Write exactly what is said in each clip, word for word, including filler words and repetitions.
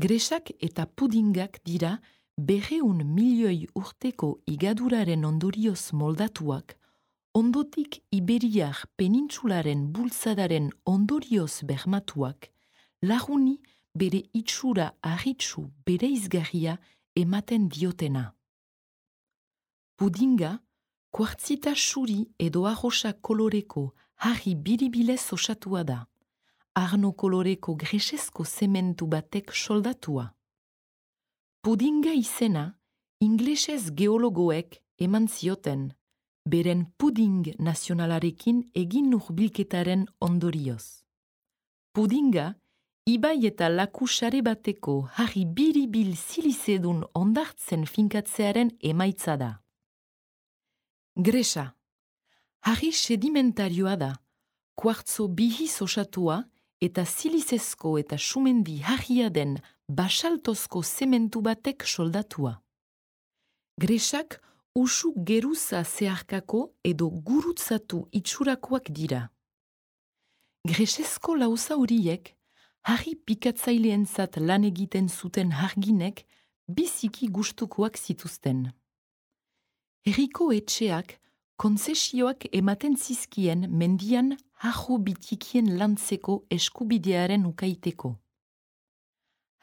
Gresak eta pudingak dira berreun milioi urteko igaduraren ondorioz moldatuak, ondotik Iberiar penintsularen bultzadaren ondorioz bermatuak, laguni bere itxura arritsu bereizgarria ematen diotena. Pudinga, kuartzita suri edo arrosa koloreko harri biribilez osatua da, arno koloreko gresezko zementu batek soldatua. Pudinga izena, inglesez geologoek eman zioten, beren puding nazionalarekin egin hurbilketaren ondorioz. Pudinga, ibai eta laku sare bateko harri biribil zilizedun ondartzen finkatzearen emaitza da. Gresa, harri sedimentarioa da, kuartzo bihiz osatua eta zilizezko eta sumendi harria den basaltozko zementu batek soldatua. Gresak usu geruza zeharkako edo gurutzatu itxurakoak dira. Gresezko lauza horiek, harri pikatzaileentzat lan egiten zuten harginek biziki gustukoak zituzten. Herriko etxeak kontzesioak ematen zizkien mendian harro bitikien lantzeko eskubidearen ukaiteko.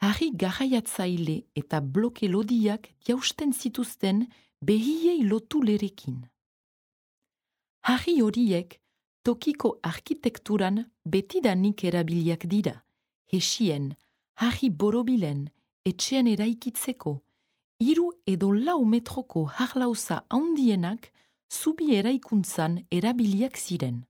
Harri garraiatzaile eta bloke lodiak jausten zituzten behiei lotu lerekin. Harri horiek tokiko arkitekturan betidanik erabiliak dira, hesien, harri borobilen, etxean eraikitzeko, hiru edo lau metroko harlauza handienak zubi eraikuntzan erabiliak ziren.